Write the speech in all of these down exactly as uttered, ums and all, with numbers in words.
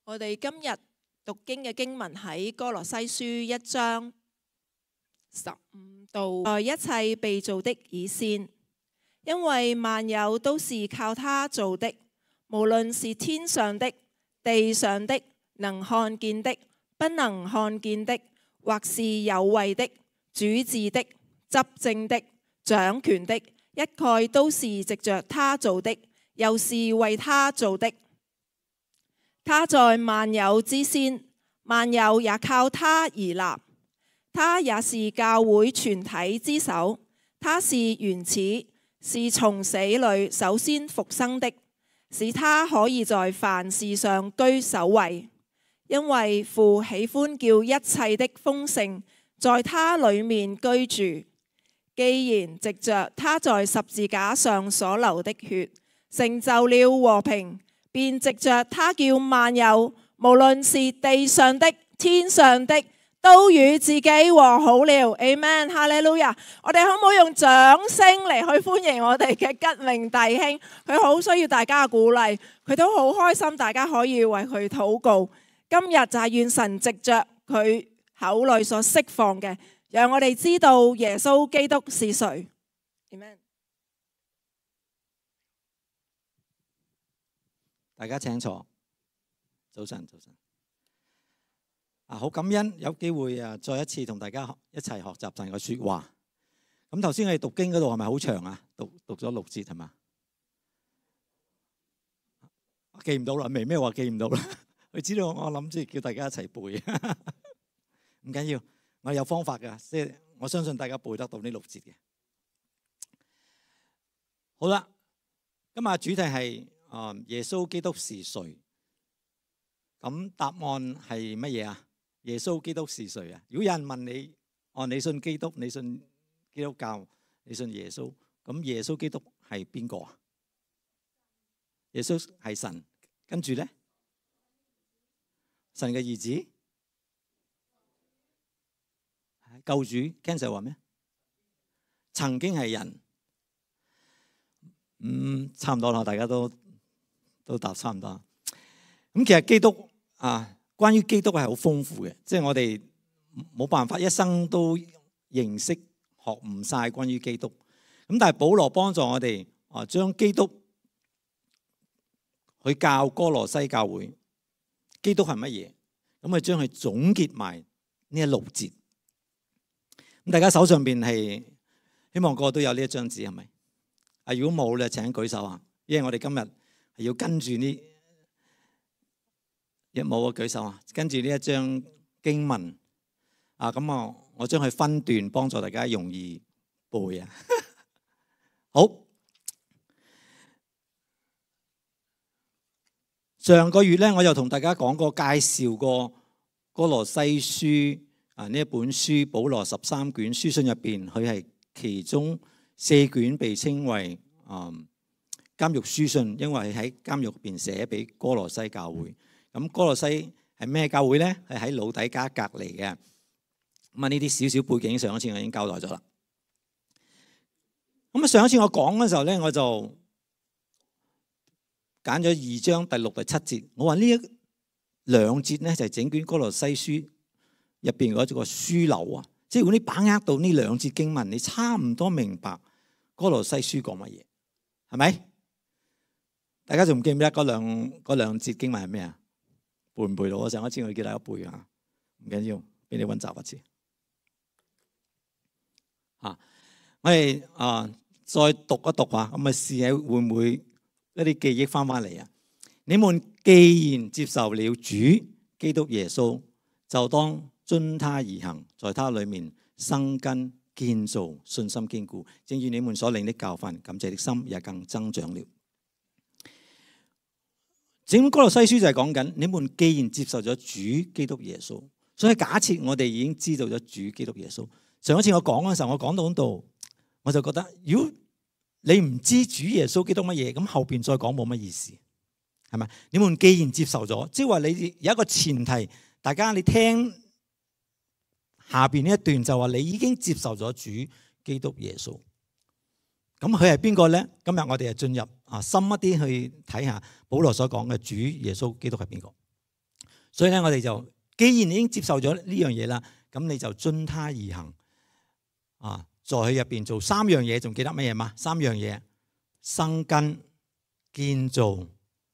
我哋今日讀經嘅經文喺歌羅西書一章十五度，在一切被造的以先，因為萬有都是靠他做的，無論是天上的、地上的、能看見的、不能看見的，或是有位的、主治的、執政的、掌權的，一概都是藉着他做的，又是為他做的。他在萬有之先，萬有也靠他而立。他也是教會全體之首，他是原始，是從死裏首先復生的，使他可以在凡事上居首位。因為父喜歡叫一切的豐盛在他裏面居住。既然藉着他在十字架上所流的血成就了和平，便藉着他叫萬有，無論是地上的、天上的，都與自己和好了。Amen， 哈利路亞。我哋可唔可以用掌聲嚟去歡迎我哋嘅吉明弟兄？佢好需要大家嘅鼓勵，佢都好開心，大家可以為佢禱告。今日就係願神藉着佢口裏所釋放嘅，讓我哋知道耶穌基督是誰。Amen。大家請坐。早晨，早晨。啊，好感恩有機會啊，再一次同大家一齊學習神嘅說話。咁頭先我哋讀經嗰度係咪好長啊？讀讀咗六節係嘛？記唔到啦，未咩話記唔到啦？佢知道我諗住叫大家一齊背，唔緊要，我有方法㗎，即係我相信大家背得到呢六節嘅。好啦，今日主題係啊耶穌基督是誰？咁答案係乜嘢啊？耶穌基督是誰啊？如果有人問你，哦，你信基督，你信基督教，你信耶穌，咁耶穌基督係邊個啊？耶穌係神，跟住咧，神嘅兒子，救主。Cancer 話咩？曾經係人。嗯，差唔多啦，大家都都答差唔多。咁其實基督啊，關於基督係好豐富嘅，即係我哋冇辦法一生都認識學唔晒關於基督。咁但係保羅幫助我哋啊，將基督去教歌羅西教會，基督係乜嘢？咁啊將佢總結埋呢一六節。咁大家手上邊係希望個個都有呢一張紙係咪？啊，如果冇咧，請舉手啊！因為我哋今日係要跟住呢，一冇啊舉手啊！跟住呢一張經文啊，咁啊，我將佢分段幫助大家容易背啊。好，上個月咧，我就同大家講過介紹過歌羅西書啊呢一本書，保羅十三卷書信入邊，佢係其中四卷被稱為嗯監獄書信，因為喺監獄入邊寫俾歌羅西教會。咁歌羅西係咩教會咧？係喺老底嘉隔離嘅。咁啊呢啲少少背景，上一次我已經交代咗啦。咁啊上一次我講嘅時候咧，我就揀咗二章第六、第七節。我話呢一兩節咧就係整卷歌羅西書入邊嗰個樞紐啊。即係如果你把握到呢兩節經文，你差唔多明白歌羅西書講乜嘢，係咪？大家仲記唔記得嗰兩嗰兩節經文係咩啊？背唔背到？我上一次我叫大家背啊，唔緊要，俾你溫習一次。啊，我哋啊再讀一讀啊，咁啊試下會唔會一啲記憶翻翻嚟啊？你們既然接受了主基督耶穌，就當遵他而行，在他裏面生根建造，信心堅固，正如你們所領的教訓，感謝的心也更增長了。整本歌羅西書就係講緊，你們既然接受咗主基督耶穌，所以假設我哋已經知道咗主基督耶穌。上一次我講嘅時候，我講到度，我就覺得，如果你唔知主耶穌基督乜嘢，咁後邊再講冇乜意思，係咪？你們既然接受咗，即係話你有一個前提，大家你聽。下邊呢一段就話你已經接受咗主基督耶穌，咁佢係邊個咧？今日我哋就進入啊深一啲去睇下保羅所講嘅主耶穌基督係邊個。所以咧，我哋就既然已經接受咗呢樣嘢啦，咁你就遵他而行啊！在佢入邊做三樣嘢，仲記得乜嘢嘛？三樣嘢：生根、建造、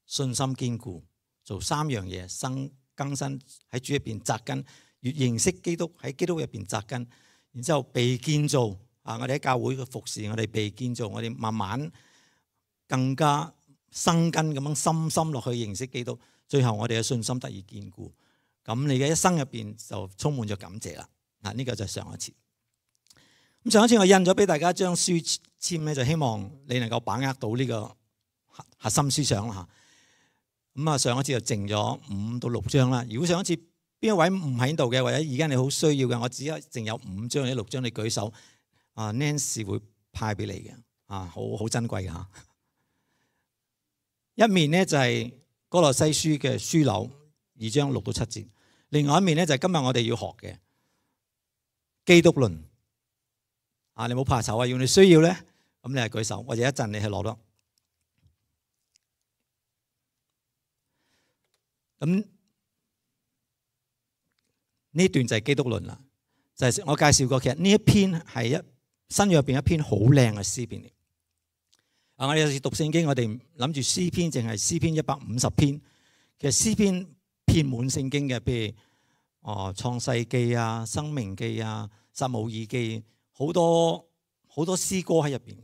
信心堅固。做三樣嘢，生更新喺主入邊扎根，越認識基督喺基督入邊扎根，然之後被建造啊！我哋喺教會嘅服侍，我哋被建造，我哋慢慢更加生根咁樣深深落去認識基督，最後我哋嘅信心得以堅固。咁你嘅一生入邊就充滿咗感謝啦。嗱，呢個就係上一次。咁上一次我印咗俾大家一張書籤咧，就希望你能夠把握到呢個核心思想啦嚇。咁啊，上一次就剩咗五到六張啦。如果上一次邊一位唔喺度嘅，或者而家你好需要嘅，我只係剩有五張或者六張，你舉手，啊 Nancy 會派俾你嘅，啊好好珍貴嘅嚇。一面呢就係歌羅西書嘅書樓二章六到七節，另外一面呢就係今日我哋要學嘅基督論。啊，你冇怕醜啊，要你需要咧，咁你係舉手，或者一陣你係攞咯。咁呢段就係基督論啦，就係、是、我介紹過，其實呢一篇係一新約入邊一篇好靚嘅詩篇嚟。啊，我哋有時讀聖經，我哋諗住詩篇淨係詩篇一百五十篇，其實詩篇遍滿聖經嘅，譬如哦創世記啊、生命記啊、撒母耳記，好多好多詩歌喺入邊。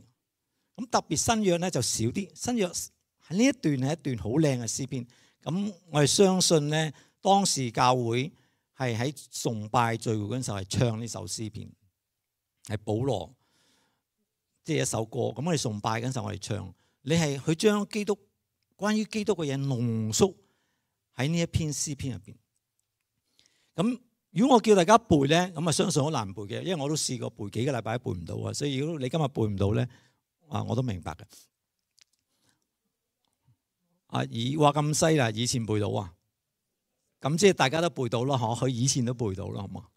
咁特別新約咧就少啲，新約喺呢一段係一段好靚嘅詩篇。咁我哋相信咧，當時教會係喺崇拜聚會嗰陣時候係唱呢首詩篇，係保羅即係一首歌。咁我哋崇拜嗰陣時候我哋唱，你係佢將基督關於基督嘅嘢濃縮喺呢一篇詩篇入邊。咁如果我叫大家背咧，咁啊相信好難背嘅，因為我都試過背幾個禮拜都背唔到啊。所以如果你今日背唔到咧，啊我都明白嘅。啊！以話咁犀利，以前背到啊，咁即係大家都背到咯，嗬？佢以前都背到啦，好嘛？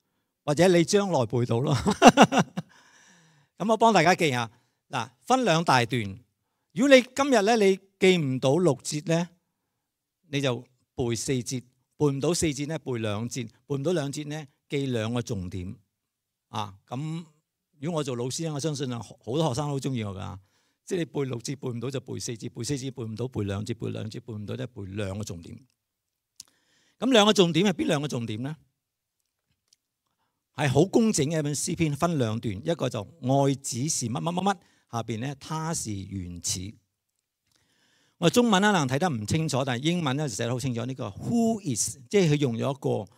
或者你將來背到咯。咁我幫大家記下，嗱，分兩大段。如果你今日咧你記唔到六節咧，你就背四節；背唔到四節咧，背兩節；背唔到兩節咧，記兩個重點。啊，咁如果我做老師咧，我相信啊好多學生都好中意我噶。即係你背六節背唔到就背四節，背四節背唔到背兩節，背兩節背唔到咧背兩個重點。咁兩個重點係邊兩個重點咧？係好工整嘅一本詩篇，分兩段，一個就愛子是乜乜乜乜，下邊咧他是原始。我中文可能睇得唔清楚，但係英文咧就寫得好清楚。呢個 Who is， 即係佢用咗一個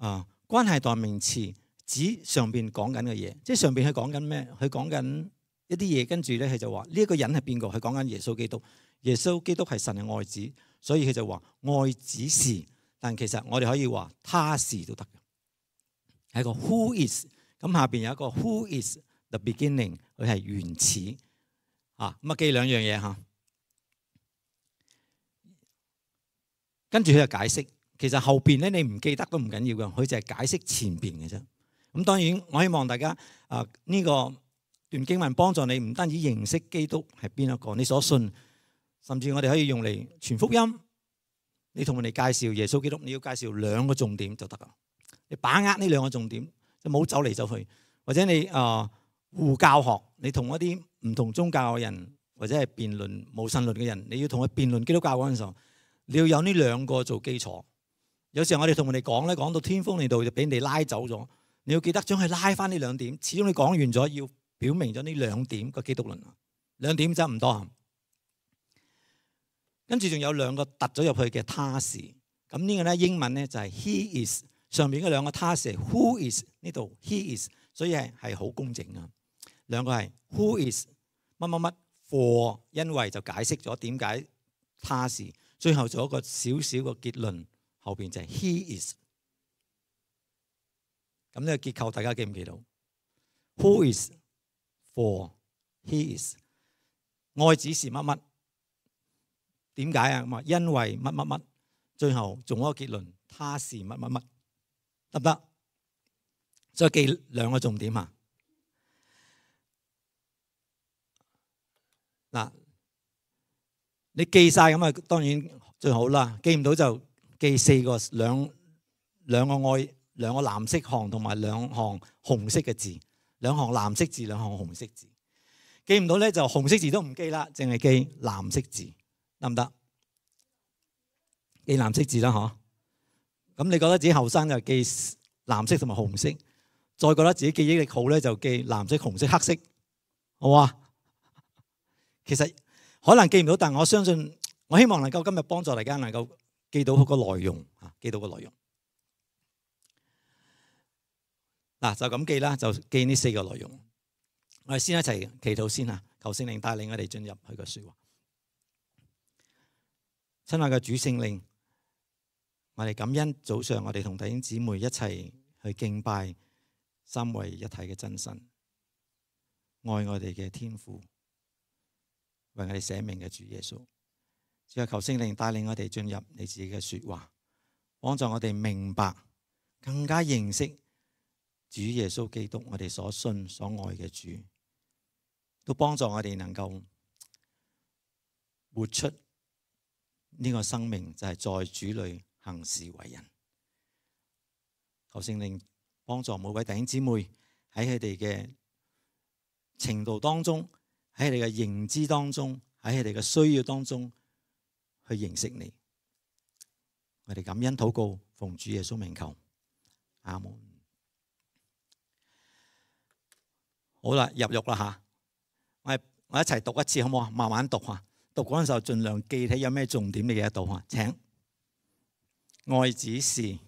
啊關係代名詞指上邊講緊嘅嘢，即係上邊佢講緊咩？佢講緊一啲嘢，跟住咧佢就話呢一個人係邊個？佢講緊耶穌基督。耶穌基督係神嘅愛子，所以佢就話愛子是，但其實我哋可以話他是都得嘅，係一個 Who is。咁下邊有一個 Who is the beginning， 佢係原始啊。咁啊記兩樣嘢嚇，跟住佢就解釋。其實後邊咧你唔記得都唔緊要嘅，佢就係解釋前邊嘅啫。咁當然我希望大家啊呢個段經文幫助你唔單止認識基督係邊一個，你所信，甚至我哋可以用嚟傳福音。你同人哋介紹耶穌基督，你要介紹兩個重點就得啦。你把握呢兩個重點，就冇走嚟走去。或者你啊互教學，你同一啲唔同宗教嘅人，或者係辯論無神論嘅人，你要同佢辯論基督教嗰陣時候，你要有呢兩個做基礎。有時候我哋同人哋講咧，講到天荒地老就俾人哋拉走咗。你要記得將佢拉翻呢兩點。始終你講完咗要表明咗呢兩點個基督論，兩點真唔多。跟住仲有兩個突咗入去嘅他是，咁呢個咧英文咧就係 he is， 上面嗰兩個他是 who is， 呢度 he is， 所以係係好工整啊。兩個係 who is 乜乜乜 for， 因為就解釋咗點解他是，最後做一個少少個結論，後邊就係 he is。咁呢個結構大家記唔記到 ？Who is for he is， 愛子是乜乜？點解啊？咁啊，因為乜乜乜，最後做一個結論，他是乜乜乜，得唔得？再記兩個重點啊！嗱，你記晒咁啊，當然最好啦。記唔到就記四個兩兩個愛兩個藍色行同埋兩行紅色嘅字，兩行藍色字，兩行紅色字。記唔到咧就紅色字都唔記啦，淨係記藍色字，得唔得？記藍色字啦，嗬。咁你覺得自己後生就記藍色同埋紅色，再覺得自己記憶力好咧就記藍色、紅色、黑色，好啊？其實可能記唔到，但我相信我希望能夠今日幫助大家能夠記到個內容啊，記到個內容。嗱就咁記啦，就記呢四個內容。我哋先一齊祈禱先啊，求聖靈帶領我哋進入佢嘅說話。親愛嘅主聖靈，我哋感恩早上我哋同弟兄姊妹一齊去敬拜三位一體嘅真神，愛我哋嘅天父，為我哋捨命嘅主耶穌。只係求聖靈帶領我哋進入你自己嘅說話，幫助我哋明白，更加認識主耶穌基督，我哋所信所愛嘅主，都幫助我哋能夠活出呢個生命，就係在主裏行事為人。求聖靈幫助每位弟兄姊妹喺佢哋嘅程度當中，喺佢哋嘅認知當中，喺佢哋嘅需要當中去認識你。我哋感恩禱告，奉主耶穌名求，阿門。好啦，入獄啦吓，我哋我一齊讀一次好唔好啊？慢慢讀吓，讀嗰陣時候盡量記起有咩重點你記得到吓。請，愛子是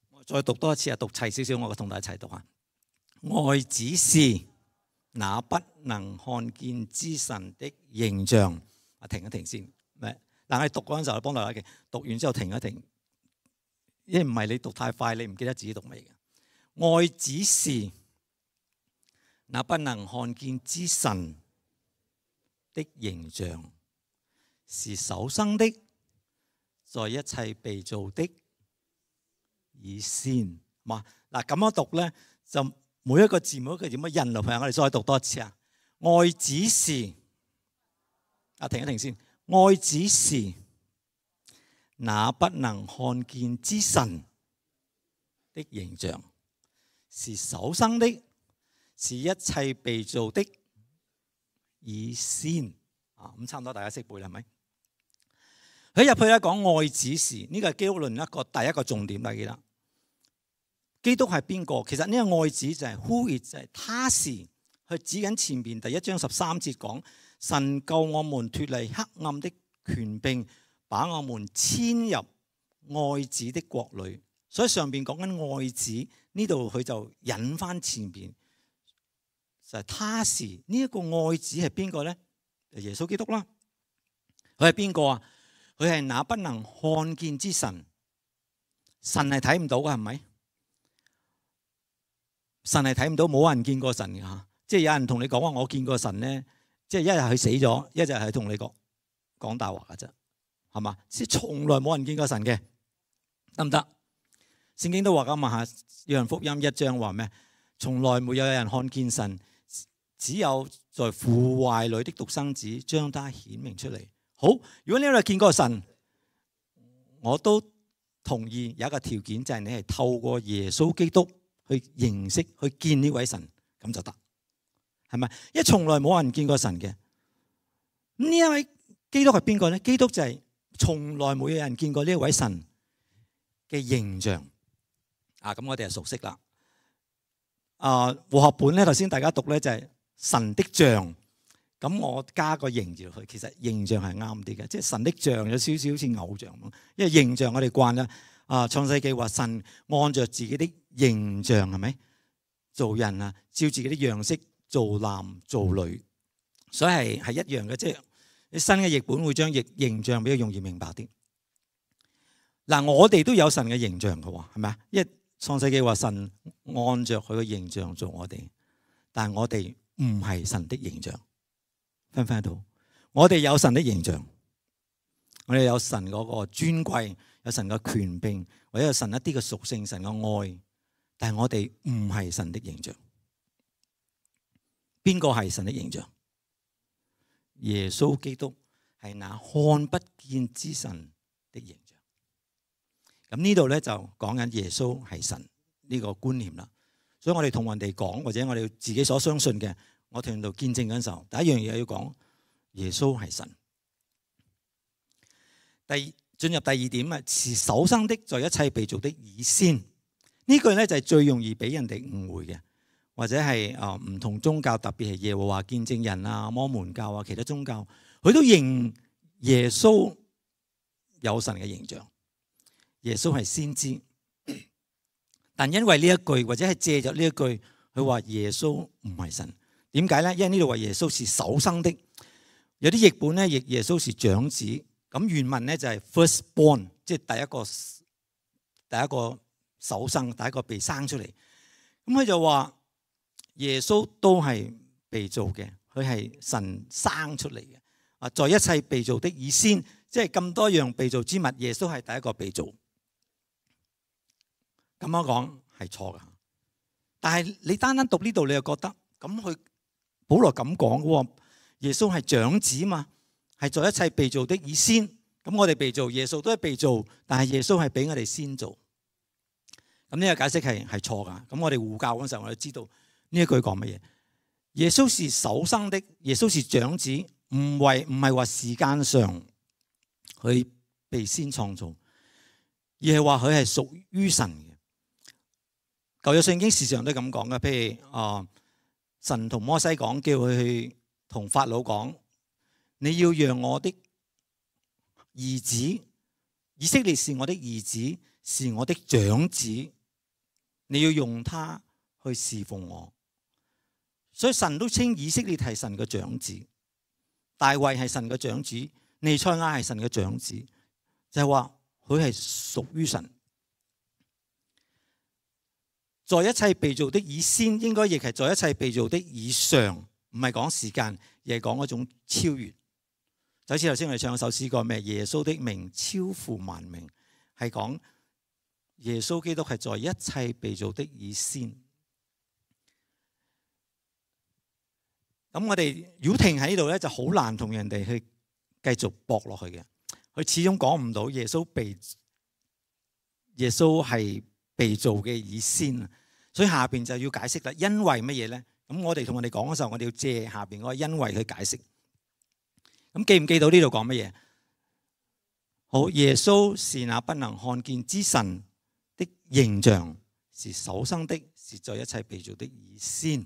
我再讀多一次啊，讀齊少少，我同大家一齊讀下。愛子是那不能看見之神的形象。啊，停一停先。但係讀嗰陣時候，幫大家嘅讀完之後停一停，因為唔係你讀太快，你唔記得自己讀咩嘅。愛子是那不能看見之神的形象，是首生的，在一切被造的以先。嘛嗱咁樣讀咧，就每一個字每一個字咁樣印落去。我哋再讀多一次啊！愛子是啊，停一停先。愛子是那不能看見之神的形象，是首生的，是一切被造的以先。啊，咁差唔多大家識背啦，係咪？佢入去咧講愛子是，呢個係基督論一個第一個重點，大家記得。基督係邊個？其實呢個愛子就係 who is，就係他是，佢指緊前邊第一章十三節講。神救我們脫離黑暗的權柄，把我們遷入愛子的國裏。所以上邊講緊愛子，呢度佢就引翻前邊，就係他是呢一個愛子係邊個咧？耶穌基督啦。佢係邊個啊？佢係那不能看見之神。神係睇唔到㗎，係咪？神係睇唔到，冇人見過神㗎。即係有人同你講話，我見過神咧。即係一日佢死咗，一日係同你講講大話㗎啫，係嘛？即係從來冇人見過神嘅，得唔得？聖經都話咁啊，約翰福音一章話咩？從來沒有人看見神，只有在父懷裏的獨生子將他顯明出嚟。好，如果你有見過神，我都同意有一個條件，就係你係透過耶穌基督去認識、去見呢位神，咁就得。係咪？因為從來冇人見過神嘅。呢一位基督係邊個咧？基督就係從來冇有人見過呢一位神嘅形象。啊，咁我哋就熟悉啦。啊，和合本咧，頭先大家讀咧就係神的像。咁我加個形字落去，其實形象係啱啲嘅，即係神的像有少少好似偶像咁。因為形象我哋慣啦。啊，創世記話神按着自己的形象係咪做人啊？照自己的樣式。做男做女，所以係係一樣嘅，即係你新嘅譯本會將形形象比較容易明白啲。嗱，我哋都有神嘅形象嘅喎，係咪啊？因為創世記話神按着佢嘅形象做我哋，但係我哋唔係神的形象，分唔分得到？我哋有神的形象，我哋有神嗰個尊貴，有神嘅權柄，或者有神一啲嘅屬性，神嘅愛，但係我哋唔係神的形象。邊個係神的形象？耶穌基督係那看不見之神的形象。咁呢度咧就講緊耶穌係神呢個觀念啦。所以我哋同人哋講，或者我哋自己所相信嘅，我同人度見證緊時候，第一樣嘢要講耶穌係神。第二，進入第二點啊，是首生的，在一切被造的以先。呢句咧就係最容易俾人哋誤會嘅，或者係啊唔同宗教，特別係耶和華見證人啊、摩門教啊、其他宗教，佢都認耶穌有神嘅形象，耶穌係先知。但因為呢一句，或者係借着呢一句，佢話耶穌唔係神。點解咧？因為呢度話耶穌是首生的，有啲譯本咧譯耶穌是長子。咁原文咧就係 firstborn， 即係第一個第一個首生，第一個被生出嚟。咁佢就話耶穌都係被造嘅，佢係神生出嚟嘅。啊，在一切被造的以先，即係咁多樣被造之物，耶穌係第一個被造。咁樣講係錯㗎，但係你單單讀呢度，你又覺得咁佢保羅咁講嘅，耶穌係長子嘛，係在一切被造的以先。咁我哋被造，耶穌都係被造，但係耶穌係俾我哋先做。咁呢個解釋係係錯㗎。咁我哋護教嗰時候，我哋知道呢一句講乜嘢？耶穌是首生的，耶穌是長子，唔係唔係話時間上佢被先創造，而係話佢係屬於神嘅。舊約聖經時常都咁講嘅，譬如啊，神同摩西講，叫佢去同法老講，你要讓我的兒子以色列是我的兒子，是我的長子，你要用他去侍奉我。所以神都稱以色列係神嘅長子，大衛係神嘅長子，彌賽亞係神嘅長子，就係話佢係屬於神。在一切被造的以先，應該亦係在一切被造的以上，唔係講時間，而係講嗰種超越。就好似頭先我哋唱一首詩歌咩？耶穌的名超乎萬名，係講耶穌基督係在一切被造的以先。咁我哋如果停喺呢度咧，就好難同人哋去繼續駁落去嘅。佢始終講唔到耶穌被耶穌係被造嘅以先啊，所以下邊就要解釋啦。因為乜嘢咧？咁我哋同人哋講嘅時候，我哋要借下邊嗰個因為去解釋。咁記唔記到呢度講乜嘢？好，耶穌是那不能看見之神的形象，是首生的，是在一切被造的以先。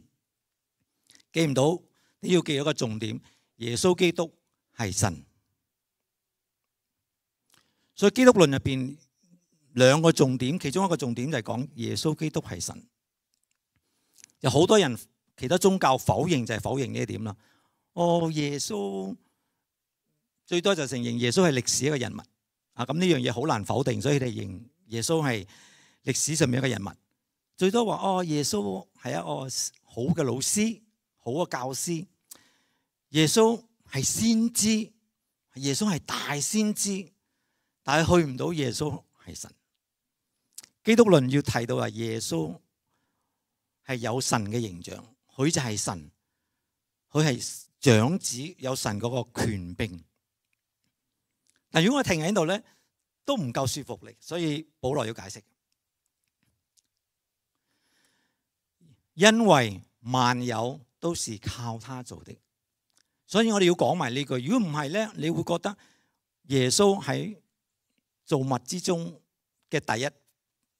記唔到？你要記咗個重點，耶穌基督係神。所以基督論入邊兩個重點，其中一個重點就係講耶穌基督係神。有好多人其他宗教否認，就係否認呢一點啦。哦，耶穌最多就承認耶穌係歷史一個人物啊，咁呢樣嘢好難否定，所以你認耶穌係歷史上面一個人物。最多話哦，耶穌係一個好嘅老師，好嘅教師。耶穌係先知，耶穌係大先知，但係去唔到耶穌係神。基督論要提到話耶穌係有神嘅形象，佢就係神，佢係長子，有神嗰個權柄。但如果我停喺度咧，都唔夠說服力，所以保羅要解釋。因為萬有都是靠他做的，所以我哋要講埋呢句。如果唔係咧，你會覺得耶穌喺造物之中嘅第一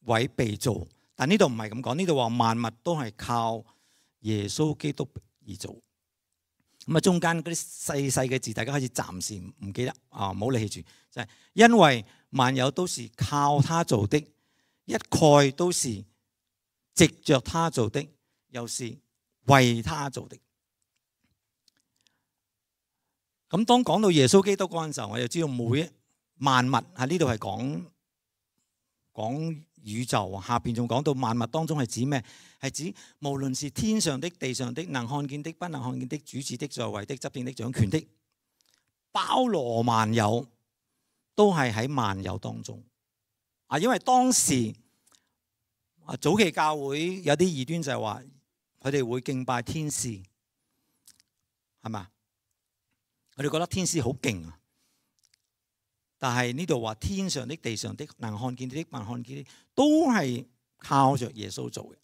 位被造，但呢度唔係咁講，呢度話萬物都係靠耶穌基督而做。咁啊，中間嗰啲細細嘅字，大家開始暫時唔記得啊，唔好理住。就係因為萬有都是靠他做的，一概都是藉着他做的，又是為他做的。咁當講到耶穌基督嗰陣時候，我就知道每一萬物喺呢度係講講宇宙，下邊仲講到萬物當中係指咩？係指無論是天上的、地上的、能看見的、不能看見的、主治的、在位的、執政的、掌權的，包羅萬有，都係喺萬有當中。啊，因為當時啊早期教會有啲異端就係話，佢哋會敬拜天使，係嘛？我哋覺得天使好勁啊，但係呢度話天上的、地上的、能看見的、不能看見的，都係靠着耶穌做嘅。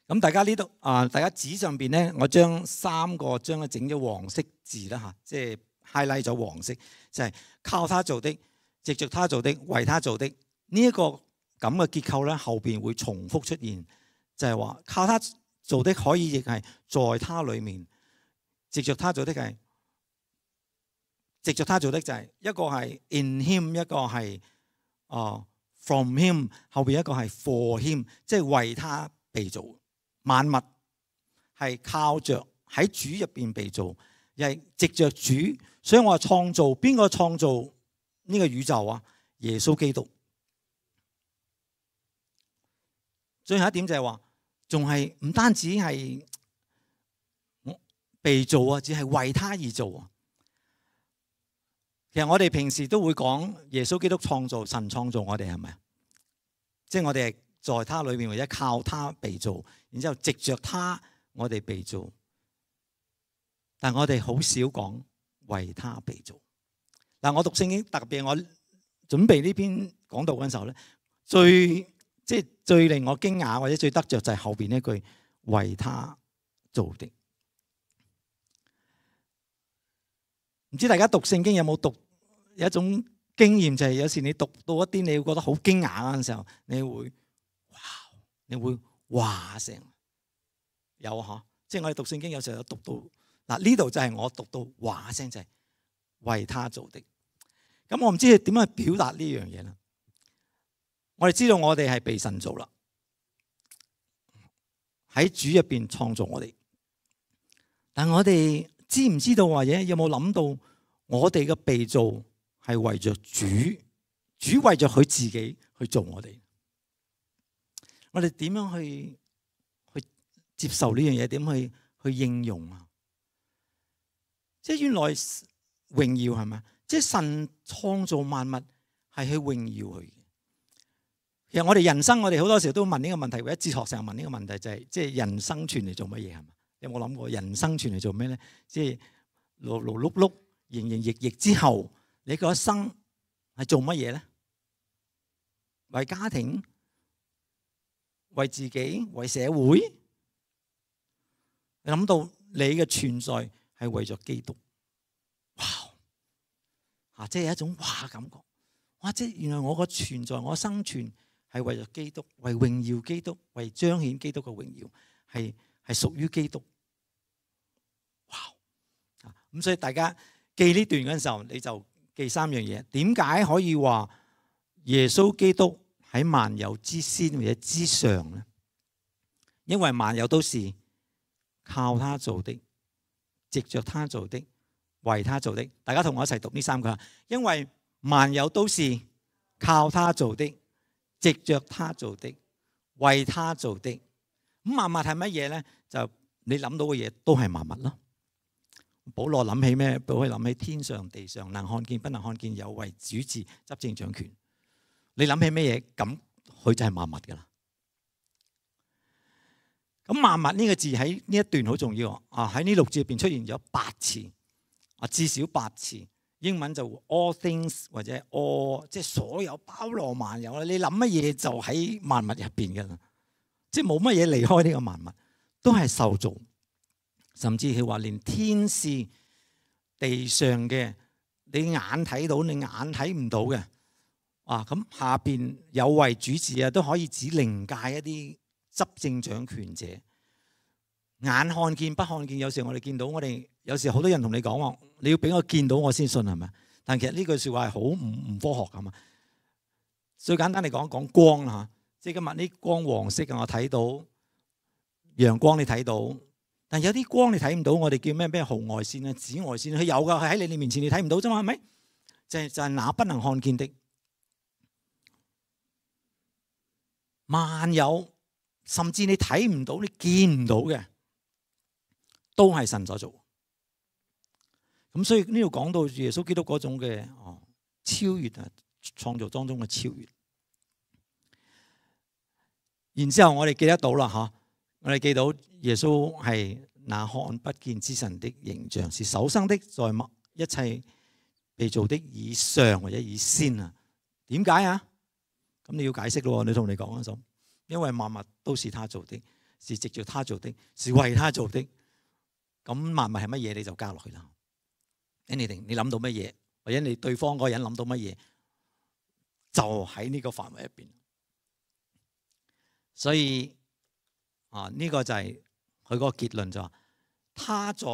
咁大家呢度啊，大家紙上邊咧，我將三個將佢整咗黃色字啦嚇，即係 highlight 咗黃色，就係靠他做的、藉着他做的、為他做的。呢一個咁嘅結構咧，後邊會重複出現，就係話靠他做的可以亦係在他裏面，藉着他做的係藉着他做的就係一個係 in him， 一個係啊 from him， 後邊一個係 for him， 即係為他被造。萬物係靠着喺主入邊被造，又係藉着主，所以我話創造，邊個創造呢個宇宙啊？耶穌基督。最後一點就係話，仲係唔單止係被造啊，只係為他而造啊。其實我哋平時都會講耶穌基督創造，神創造我哋，係咪啊？即係我哋係在他裏面，或者靠他被造，然之後藉着他我哋被造。但我哋好少講為他被造。嗱，我讀聖經，特別我準備呢篇講道嗰陣時候咧，最即係最令我驚訝或者最得着就係後邊呢句為他做的。唔知大家讀聖經有冇讀有一種經驗，就係有時你讀到一啲你會覺得好驚訝嗰陣時候，你會哇，你會哇聲有嗬，即係我哋讀聖經有時候有讀到嗱，呢度就係我讀到哇聲，就係為他做的。咁我唔知係點樣去表達呢樣嘢啦。我哋知道我哋係被神造啦，喺主入邊創造我哋，但我哋知唔知道或者有冇諗到我哋嘅被造係為着主，主為着佢自己去做我哋。我哋點樣去去接受呢樣嘢？點去去應用啊？即係原來榮耀係咪？即係神創造萬物係去榮耀佢。其實我哋人生，我哋好多時候都問呢個問題，或者哲學上問呢個問題，就係即係人生存嚟做乜嘢係嘛？有冇諗過人生存嚟做咩咧？即係勞勞碌碌、營營役役之後，你個一生係做乜嘢咧？為家庭、為自己、為社會。你諗到你嘅存在係為咗基督，哇！啊，即係一種哇感覺，哇！即係原來我個存在，我生存係為咗基督，為榮耀基督，為彰顯基督嘅榮耀，係係屬於基督。哇！啊，咁所以大家記呢段嗰陣時候，你就記三樣嘢。點解可以話耶穌基督喺萬有之先或者之上咧？因為萬有都是靠他做的，藉着他做的，為他做的。大家同我一齊讀呢三句。因為萬有都是靠他做的，藉着他做的，為他做的。咁萬物係乜嘢咧？就你諗到嘅嘢都係萬物咯。保羅諗起咩？保羅諗起天上地上，能看見不能看見，有為主治執政掌權。你諗起咩嘢？咁佢就係萬物噶啦。咁萬物呢個字喺呢一段好重要啊！喺呢六字入邊出現咗八次啊，至少八次。英文就 all things 或者 all， 即係所有包羅萬有啦。你諗乜嘢就喺萬物入邊噶啦，即係冇乜嘢離開呢個萬物，都係受造。甚至係話連天使地上嘅，你眼睇到，你眼睇唔到嘅啊，咁下邊有為主治啊，都可以指靈界一啲執政掌權者，眼看見不看見。有時我哋見到，我哋有時好多人同你講話，你要俾我見到我先信，係咪？但其實呢句說話係好唔唔科學噶嘛。最簡單嚟講，講光啦吓，即係今日呢光黃色嘅，我睇到陽光，你睇到，但有啲光你睇唔到，我哋叫咩咩紅外線啊、紫外線，佢有噶，佢喺你面前你睇唔到啫嘛，係咪？就係就係那不能看見的萬有。甚至你睇唔到，你見唔到嘅，都係神所做。咁所以呢度講到耶穌基督嗰種嘅哦超越啊，創造當中嘅超越。然之後我哋記得到啦，吓，我哋記到耶穌係那看不見之神的形象，是首生的，在一切被造的以上或者以先啊。點解啊？咁你要解釋咯，你同你講嗰種，因為萬物都是他做的，是藉着他做的，是為他做的。咁萬物係乜嘢你就加落去啦。anything 你諗到乜嘢，或者你對方嗰個人諗到乜嘢，就喺呢個範圍入邊。所以啊，呢、這個就係佢嗰個結論就話，他在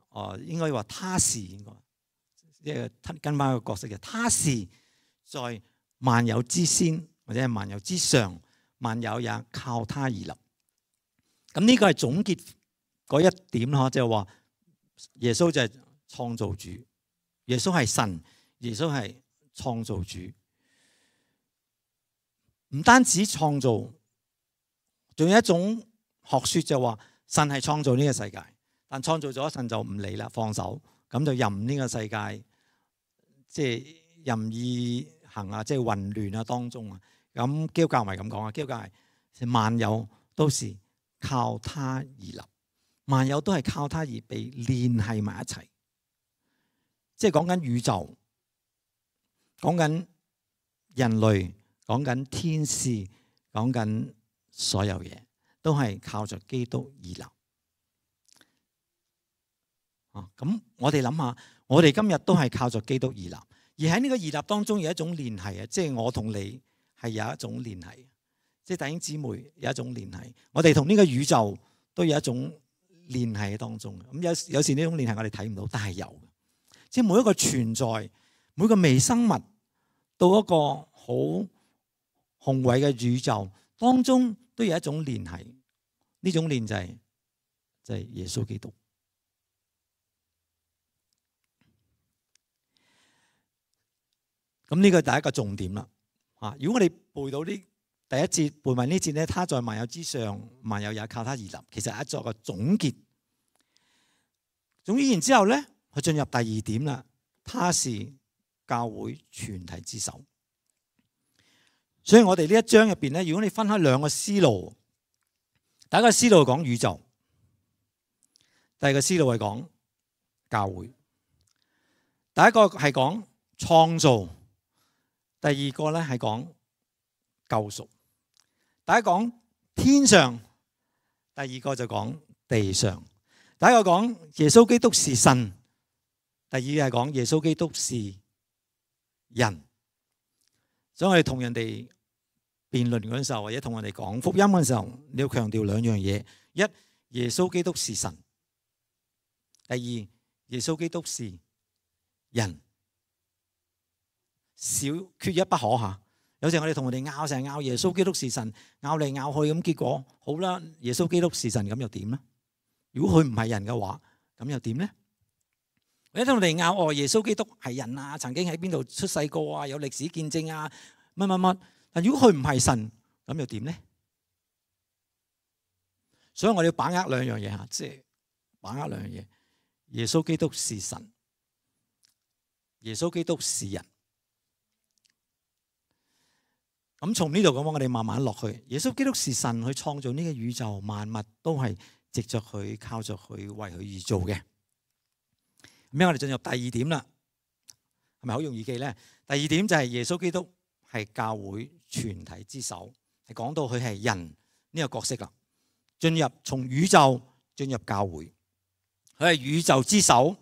哦、啊，應該話他是應該，即係跟翻個角色嘅，他是在萬有之先，或者係萬有之上，萬有也靠他而立。咁呢個係總結嗰一點咯，即係話耶穌就係創造主，耶穌係神，耶穌係創造主。唔單止創造，仲有一種學說就話神係創造呢個世界，但創造咗神就唔理啦，放手，咁就任呢個世界即係任意行啊，即係混亂啊當中啊。咁基督教唔係咁講啊，基督教係萬有都是靠他而立，萬有都係靠他而被聯繫埋一齊，即係講緊宇宙，講緊人類，講緊天使，講緊所有嘢都係靠着基督而立。啊，咁我哋諗下，我哋今日都係靠着基督而立，而喺呢個而立當中有一種聯繫啊，即係我同你係有一種聯繫，即係弟兄姊妹有一種聯繫，我哋同呢個宇宙都有一種聯繫喺當中。咁有有時呢種聯繫我哋睇唔到，但係有，即係每一個存在，每個微生物到一個好宏偉嘅宇宙當中都有一種聯繫，呢種聯就係就係耶穌基督。咁呢個第一個重點啦。啊，如果我哋背到呢第一節背埋呢節咧，他在萬有之上，萬有也靠他而立，其實係一作個總結。總結完之後咧，佢進入第二點啦，他是教會全體之首。所以我哋呢一章入邊咧，如果你分開兩個思路，第一個思路係講宇宙，第二個思路係講教會。第一個係講創造，第二個咧係講救贖。第一講天上，第二個就講地上。第一個講耶穌基督是神，第二係講耶穌基督是人。所以我哋同人哋辯論嗰陣時候，或者同人哋講福音嗰陣時候，你要強調兩樣嘢：一，耶穌基督是神；第二，耶穌基督是人。少缺一不可吓。有時我哋同人哋拗，成日拗耶穌基督是神，拗嚟拗去咁，結果好啦，耶穌基督是神咁又點呢？如果佢唔係人嘅話，咁又點呢？或者同人哋拗哦，耶穌基督係人啊，曾經喺邊度出世過啊，有歷史見證啊，乜乜乜。但如果佢唔係神，咁又點呢？所以我哋要把握兩樣嘢吓，即係把握兩樣嘢。耶穌基督是神，耶穌基督是人。咁從呢度咁，我哋慢慢落去。耶穌基督是神，去創造呢個宇宙萬物都係藉着佢、靠着佢、為佢而做嘅。咁樣我哋進入第二點啦，係咪好容易記咧？第二點就係耶穌基督係教會全體之首，係講到佢係人呢個角色啦。進入從宇宙進入教會，佢係宇宙之首，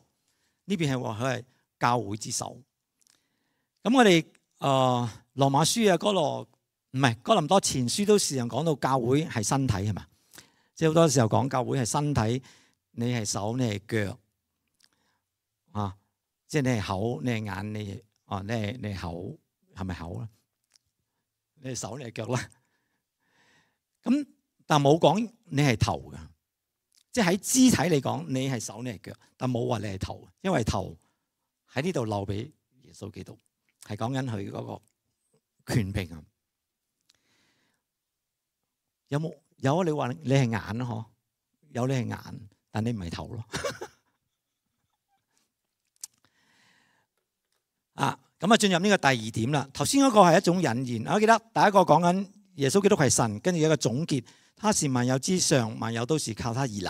呢邊係話佢係教會之首。咁我哋誒、呃、羅馬書啊，哥羅唔係哥林多前書都時常講到教會係身體，係嘛？即係好多時候講教會係身體，你係手，你係腳啊，即係你係口，你係眼，你係啊，你係你係口，係咪口啦？你係手，你係腳啦。咁但冇講你係頭㗎，即係喺肢體嚟講，你係手，你係腳，但冇話你係頭，因為頭喺呢度留俾耶穌基督，係講緊佢嗰個權柄啊。有冇有啊？你話你係眼咯，嗬？有你係眼，但你唔係頭咯。啊，咁啊進入呢個第二點啦。頭先嗰個係一種引言，我記得第一個講緊耶穌基督係神，跟住一個總結，他是萬有之上，萬有都是靠他而立。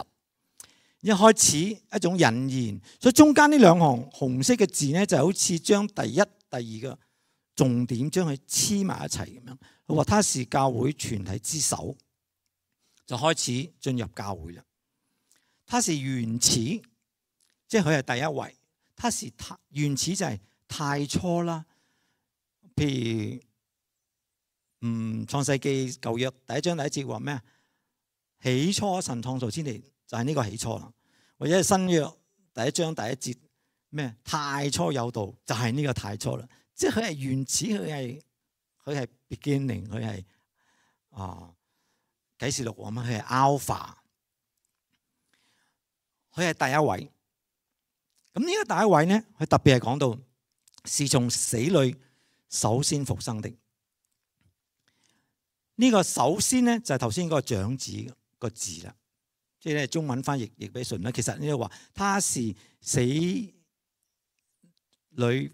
一開始一種引言，所以中間呢兩行紅色嘅字咧，就好似將第一、第二個重點將佢黐埋一齊咁樣。佢話他是教會全體之首，就開始進入教會啦。他是原始，即係佢係第一位。他是太原始就係太初啦。譬如嗯創世記舊約第一章第一節話咩啊？起初神創造天地。就係呢個起初啦，或者係新約第一章第一節咩？太初有道，就係呢個太初啦。即係佢係原始，佢係佢係 beginning，佢係啊啟示錄咁啊，佢係 alpha，佢係第一位。咁呢個第一位咧，佢特別係講到是從死裏首先復生的。呢個首先咧就係頭先嗰個長子個字啦。即係咧，中文翻譯譯俾順啦。其實呢度話，他是死裏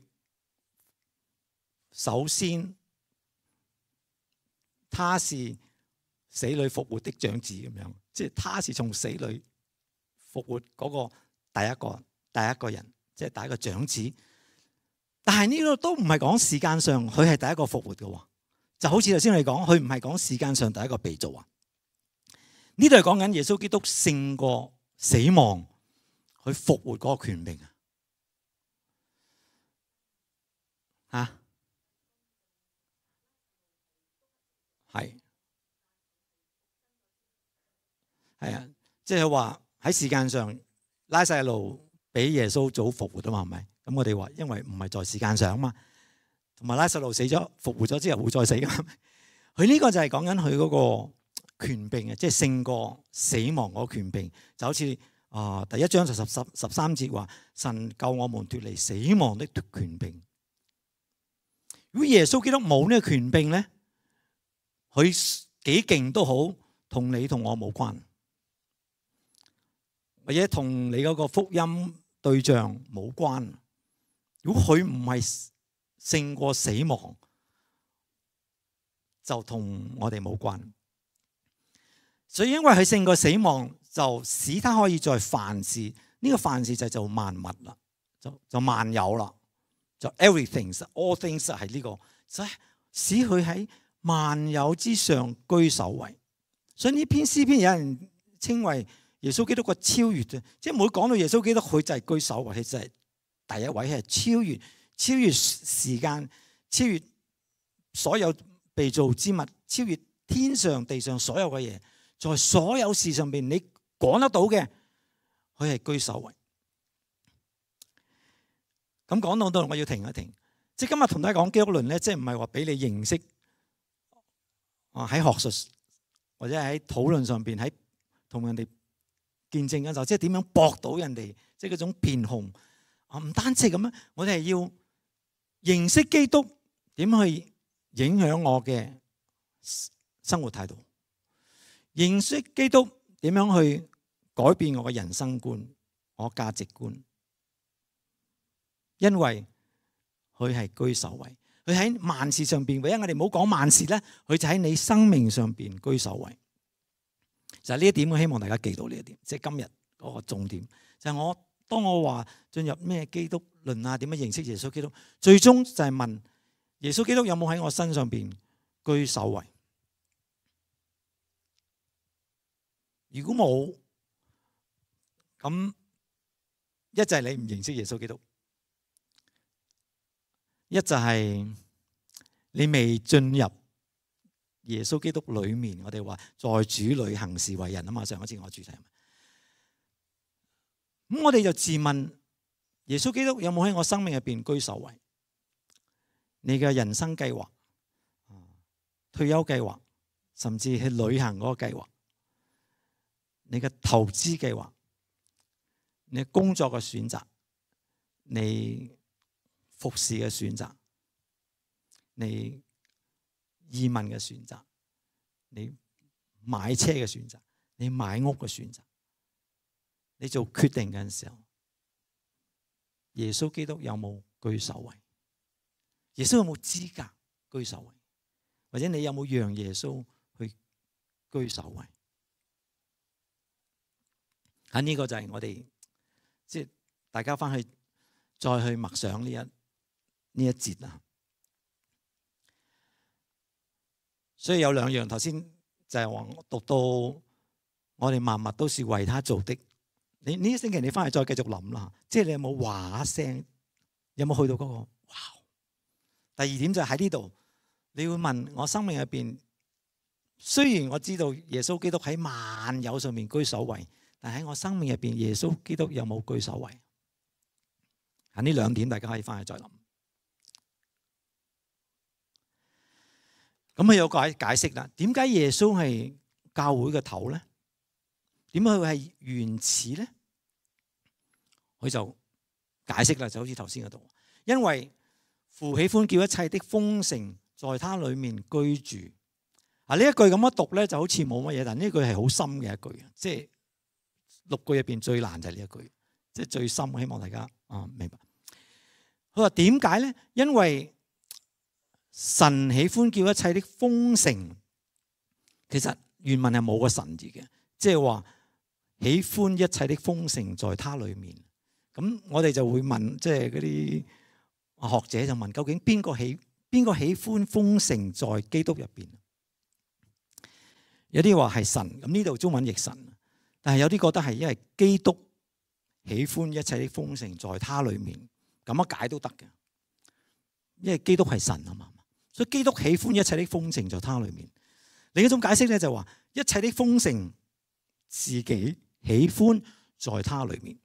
首先，他是死裏復活的長子咁樣。即係他是從死裏復活嗰個第一個第一個人，即係第一個長子。但係呢個都唔係講時間上佢係第一個復活嘅，就好似頭先我哋講，佢唔係講時間上第一個被造啊。呢度係講緊耶穌基督勝過死亡，去復活嗰個權柄啊！嚇，係係啊，即係話喺時間上，拉撒路比耶穌早復活啊嘛，係咪？咁我哋話，因為唔係在時間上啊嘛，同埋拉撒路死咗復活咗之後會再死噶。佢呢個就係講緊佢嗰個權柄啊，即係勝過死亡嗰個權柄，就好似啊第一章就十十十三節話，神救我們脫離死亡的權柄。如果耶穌基督冇呢個權柄咧，佢幾勁都好，同你同我冇關，或者同你嗰個福音對象冇關。如果佢唔係勝過死亡，就同我哋冇關。所以因為佢勝過死亡，就使他可以在凡事，呢、這個凡事就係做萬物啦，就就萬有啦，就 everything，all things 係呢、這個，所以使佢喺萬有之上居首位。所以呢篇詩篇有人稱為耶穌基督個超越啫，即係每講到耶穌基督，佢就係居首位，佢就係第一位，係超越超越時間，超越所有被造之物，超越天上地上所有嘅嘢。在所有事上邊，你講得到嘅，佢係居首位。咁講到到，我要停一停。即係今日同大家講基督論咧，即係唔係話俾你認識啊喺學術或者喺討論上邊，喺同人哋見證嘅時候，即係點樣駁到人哋，即係嗰種辯紅啊，唔單止咁樣，我哋係要認識基督點去影響我嘅生活態度。認識基督點樣去改變我嘅人生觀、我價值觀，因為佢係居首位，佢喺萬事上邊。唯一我哋唔好講萬事咧，佢就喺你生命上邊居首位。就係呢一點，我希望大家記到呢一點，即係今日嗰個重點。就係我當我話進入咩基督論啊，點樣認識耶穌基督，最終就係問耶穌基督有冇喺我身上邊居首位。如果冇，咁一就係你唔認識耶穌基督，一就係你未進入耶穌基督裏面。我哋話在主裏行事為人啊嘛，上一次我主題。咁我哋就自問，耶穌基督有冇喺我生命入邊居首位？你嘅人生計劃、退休計劃，甚至去旅行嗰個計劃，你嘅投資計劃，你工作嘅選擇，你服侍嘅選擇，你移民嘅選擇，你買車嘅選擇，你買屋嘅選擇，你做決定嘅時候，耶穌基督有冇居首位？耶穌有冇資格居首位？或者你有冇讓耶穌去居首位？喺呢個就係我哋即係大家翻去再去默想呢一呢一節啊。所以有兩樣，頭先就係話讀到我哋萬物都是為他做的。你呢一星期你翻去再繼續諗啦，即係你有冇話聲？有冇去到嗰個？哇！第二點就喺呢度，你會問我生命入邊，雖然我知道耶穌基督喺萬有上面居首位，但喺我生命入邊，耶穌基督有冇居首位？啊，呢兩點大家可以翻去再諗。咁佢有解解釋啦，點解耶穌係教會嘅頭咧？點解佢係原始咧？佢就解釋啦，就好似頭先嗰度，因為父喜歡叫一切的豐盛在他裏面居住。啊，呢一句咁樣讀咧，就好似冇乜嘢，但呢句係好深嘅一句，即係六句入邊最難就係呢一句，即係最深。希望大家啊明白。佢話點解咧？因為神喜歡叫一切的豐盛，其實原文係冇個神字嘅，即係話喜歡一切的豐盛在他裏面。咁我哋就會問，即係嗰啲學者就問，究竟邊個喜邊個喜歡豐盛在基督入邊？有啲話係神，咁呢度中文譯神，但係有啲覺得係因為基督喜歡一切的豐盛在他裏面，咁樣解都得嘅，因為基督係神啊嘛，所以基督喜歡一切的豐盛在他裏面。另一種解釋咧就話一切的豐盛自己喜歡在他裏面。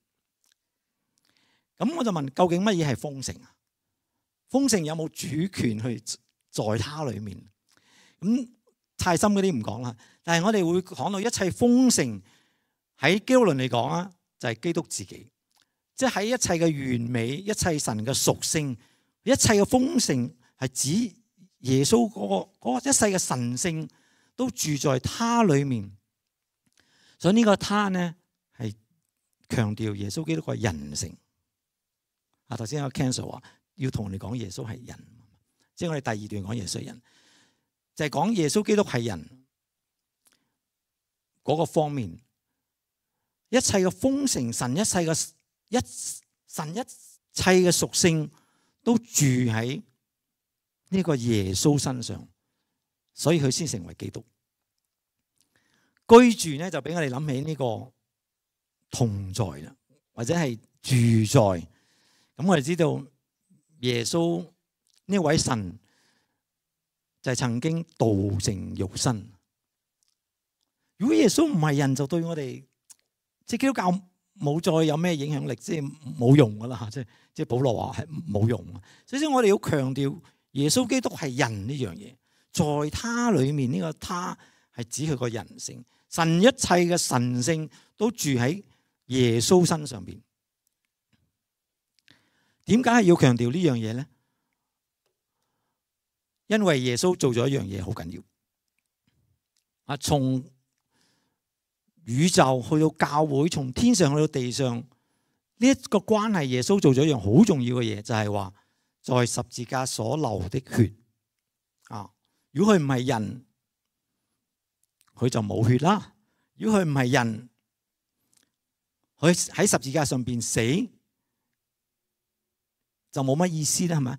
咁我就問，究竟乜嘢係豐盛啊？豐盛有冇主權去在他裏面？咁太深嗰啲唔講啦。但係我哋會講到一切豐盛喺基督論嚟講啊，就係基督自己，即係喺一切嘅完美、一切神嘅屬性、一切嘅豐盛係指耶穌嗰個嗰個一世嘅神性都住在他裏面。所以呢個他呢係強調耶穌基督個人性。啊，頭先有 cancel 話要同你講耶穌係人，即係我哋第二段講耶穌係人，就係講耶穌基督係人嗰個方面，一切嘅豐盛，神一切嘅一神一切嘅屬性都住喺呢個耶穌身上，所以佢先成為基督。居住咧就俾我哋諗起呢個同在啦，或者係住在。咁我哋知道耶穌呢位神就係曾經道成肉身。如果耶穌唔係人，就對我哋即係基督教冇再有咩影響力，即係冇用噶啦。即係即係保羅話係冇用。所以我哋要強調耶穌基督係人呢樣嘢，在他裏面呢個他係指佢個人性，神一切嘅神性都住喺耶穌身上邊。點解係要強調呢樣嘢咧？因為耶穌做咗一樣嘢好緊要。啊，從宇宙去到教會，從天上去到地上，呢一個關係，耶穌做咗一樣好重要嘅嘢，就係話在十字架所流的血。啊，如果佢唔係人，佢就冇血啦。如果佢唔係人，佢喺十字架上邊死，就冇乜意思啦，係咪？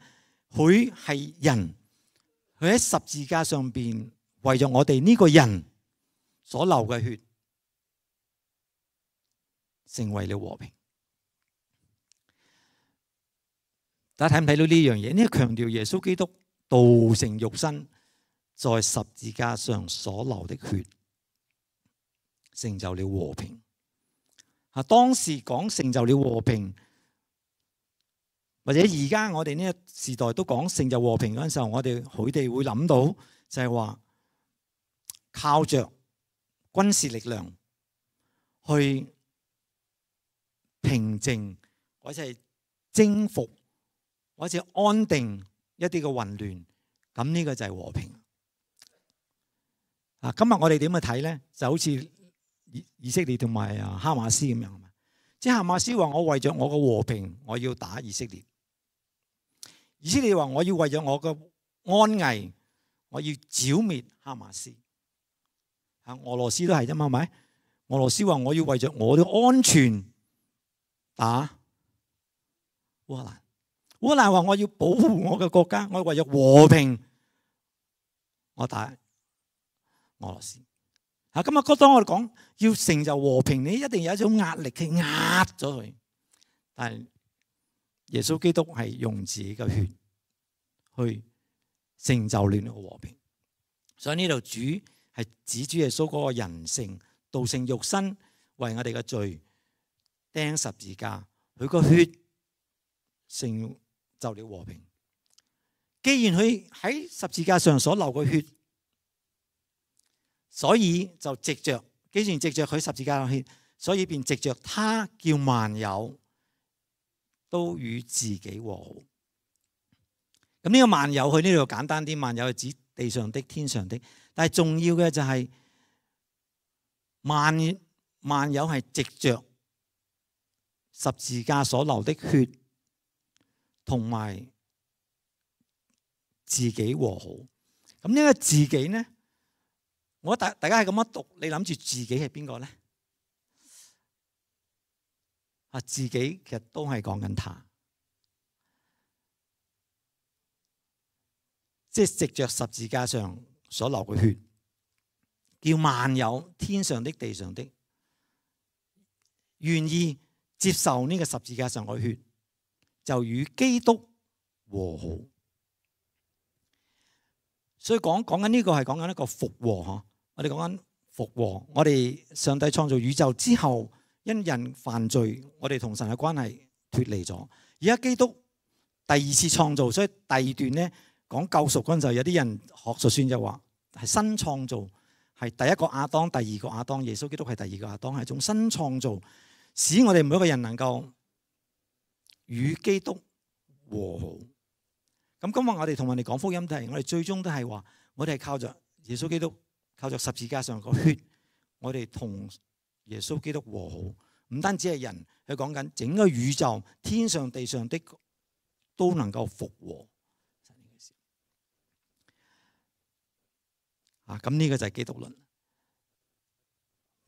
佢係人，佢喺十字架上邊為咗我哋呢個人所流嘅血，成為了和平。大家睇唔睇到呢樣嘢？呢個強調耶穌基督道成肉身，在十字架上所流的血，成就了和平。啊，當時講成就了和平，或者而家我哋呢個時代都講成就和平嗰陣時候，我哋佢哋會諗到就係話靠着軍事力量去平靜或者係征服或者安定一啲嘅混亂，咁呢個就係和平。啊，今日我哋點去睇咧？就好似以以色列同埋啊哈馬斯咁樣，即係哈馬斯話我為咗我嘅和平，我要打以色列。以色列話我要為咗我嘅安危，我要剿滅哈馬斯。啊，俄羅斯都係啫嘛，係咪？俄羅斯話我要為着我嘅安全打烏克蘭，烏克蘭話我要保護我嘅國家，我為咗和平，我打俄羅斯。啊，今日當我哋講要成就和平，你一定有一種壓力去壓咗佢。但係耶穌基督係用自己嘅血去成就了呢個和平。所以呢度主係指主耶穌嗰個人性道成肉身，為我哋嘅罪釘十字架，佢個血成就了和平。既然佢喺十字架上所流嘅血，所以就藉着，既然藉着佢十字架嘅血，所以便藉着他叫萬有都與自己和好。咁呢個萬有，佢呢度簡單啲，萬有係指地上的、天上的。但係重要嘅就係萬萬有係藉着十字架所流的血，同埋自己和好。咁呢個自己呢？我大大家係咁樣讀，你諗住自己係邊個咧？啊，自己其實都係講緊他，即係藉着十字架上所流嘅血，叫萬有天上的、地上的願意接受呢個十字架上嘅血，就與基督和好。所以講講緊呢個係講緊一個復和嗬。我哋講緊復和，我哋上帝創造宇宙之後，因人犯罪，我哋同神嘅關係脫離咗。而家基督第二次創造，所以第二段咧講救贖嗰陣時候，有啲人學術算就話係新創造，係第一個亞當，第二個亞當，耶穌基督係第二個亞當，係一種新創造，使我哋每一個人能夠與基督和好。咁今日我哋同人哋講福音，都係我哋最終都係話，我哋係靠着耶穌基督。靠着十字架上個血，我哋同耶穌基督和好。唔單止係人，佢講緊整個宇宙，天上地上的都能夠復和。啊，咁呢個就係基督論。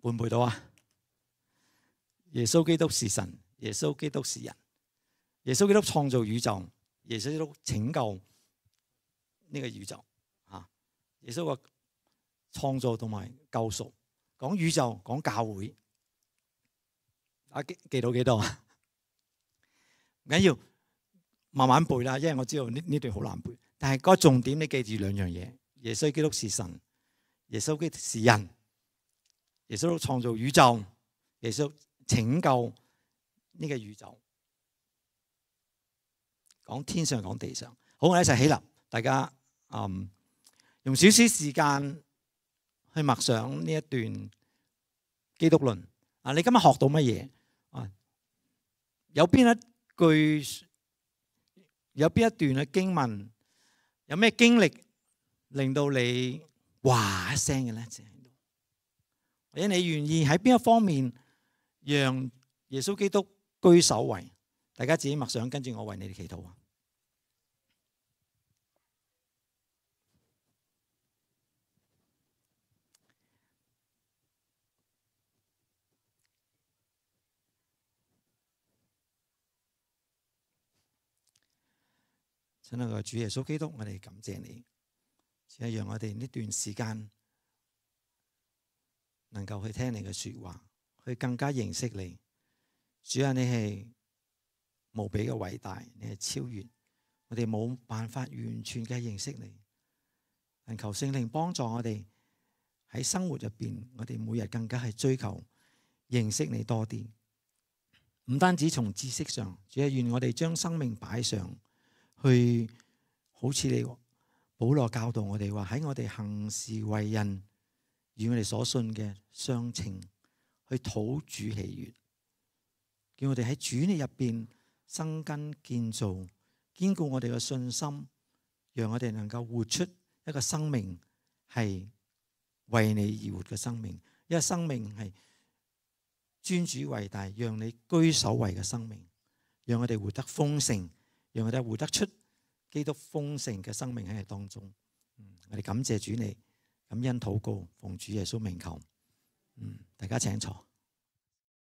背唔背到啊？耶穌基督是神，耶穌基督是人，耶穌基督創造宇宙，耶穌基督拯救呢個宇宙。啊，耶穌個創造同埋救贖，講宇宙，講教會，啊記記到幾多啊？唔緊要，慢慢背啦，因為我知道呢呢段好難背。但係個重點，你記住兩樣嘢：耶穌基督是神，耶穌基督是人，耶穌創造宇宙，耶穌拯救呢個宇宙。講天上，講地上。好，我哋一齊起立，大家嗯用少少時間去默想呢一段基督論啊！你今日學到乜嘢啊？有邊一句、有邊一段嘅經文，有咩經歷令到你哇一聲嘅咧？或者你願意喺邊一方面讓耶穌基督居首位？大家自己默想，跟住我為你哋祈禱啊！親愛嘅主耶穌基督，我哋感謝你，只係讓我哋呢段時間能夠去聽你嘅說話，去更加認識你。主啊，你係無比嘅偉大，你係超越，我哋冇辦法完全嘅認識你。但求聖靈幫助我哋喺生活入邊，我哋每日更加係追求認識你多啲。唔單止從知識上，主係願我哋將生命擺上。去好似你保羅教導我哋話，喺我哋行事為人與我哋所信嘅相稱，去討主喜悅，叫我哋喺主你入邊生根建造，堅固我哋嘅信心，讓我哋能夠活出一個生命係為你而活嘅生命，一個生命係尊主為大，讓你居首位嘅生命，讓我哋活得豐盛。讓我哋活得出基督豐盛嘅生命喺當中。我哋感謝主你，感恩禱告，奉主耶穌名求。嗯，大家請坐。